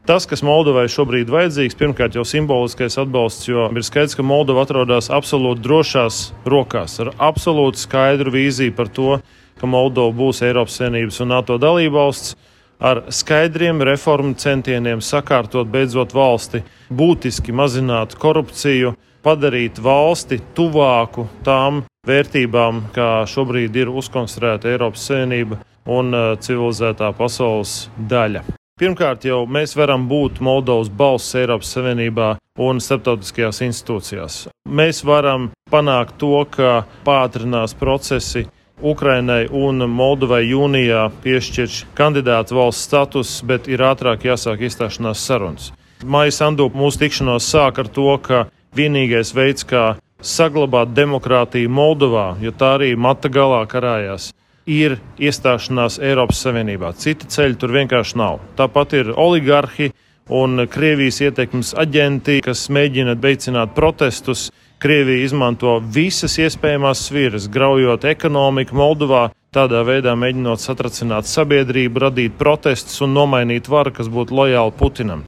Tas, kas Moldovai šobrīd vajadzīgs, pirmkārt jau simboliskais atbalsts, jo ir skaidrs, ka Moldova atrodas absolūti drošās rokās, ar absolūti skaidru vīziju par to, ka Moldova būs Eiropas Savienības un NATO dalībvalsts, ar skaidriem reformu centieniem sakārtot beidzot valsti, būtiski mazināt korupciju, padarīt valsti tuvāku tām vērtībām, kā šobrīd ir uzkonstruēta Eiropas Savienība un civilizētā pasaules daļa. Pirmkārt, jau mēs varam būt Moldovas balss Eiropas Savienībā un starptautiskajās institūcijās. Mēs varam panākt to, ka pātrinās procesi Ukrainai un Moldovai jūnijā piešķirš kandidātu valsts status, bet ir ātrāk jāsāk iestāšanās sarunas. Maija Sandu mūsu tikšanos sāk ar to, ka vienīgais veids, kā saglabāt demokrātiju Moldovā, jo tā arī mata galā karājās, ir iestāšanās Eiropas Savienībā. Cita ceļa tur vienkārši nav. Tāpat ir oligarhi un Krievijas ietekmes aģenti, kas mēģina veicināt protestus. Krievija izmanto visas iespējamās sviras, graujot ekonomiku Moldovā, tādā veidā mēģinot satracināt sabiedrību, radīt protestus un nomainīt varu, kas būtu lojāli Putinam.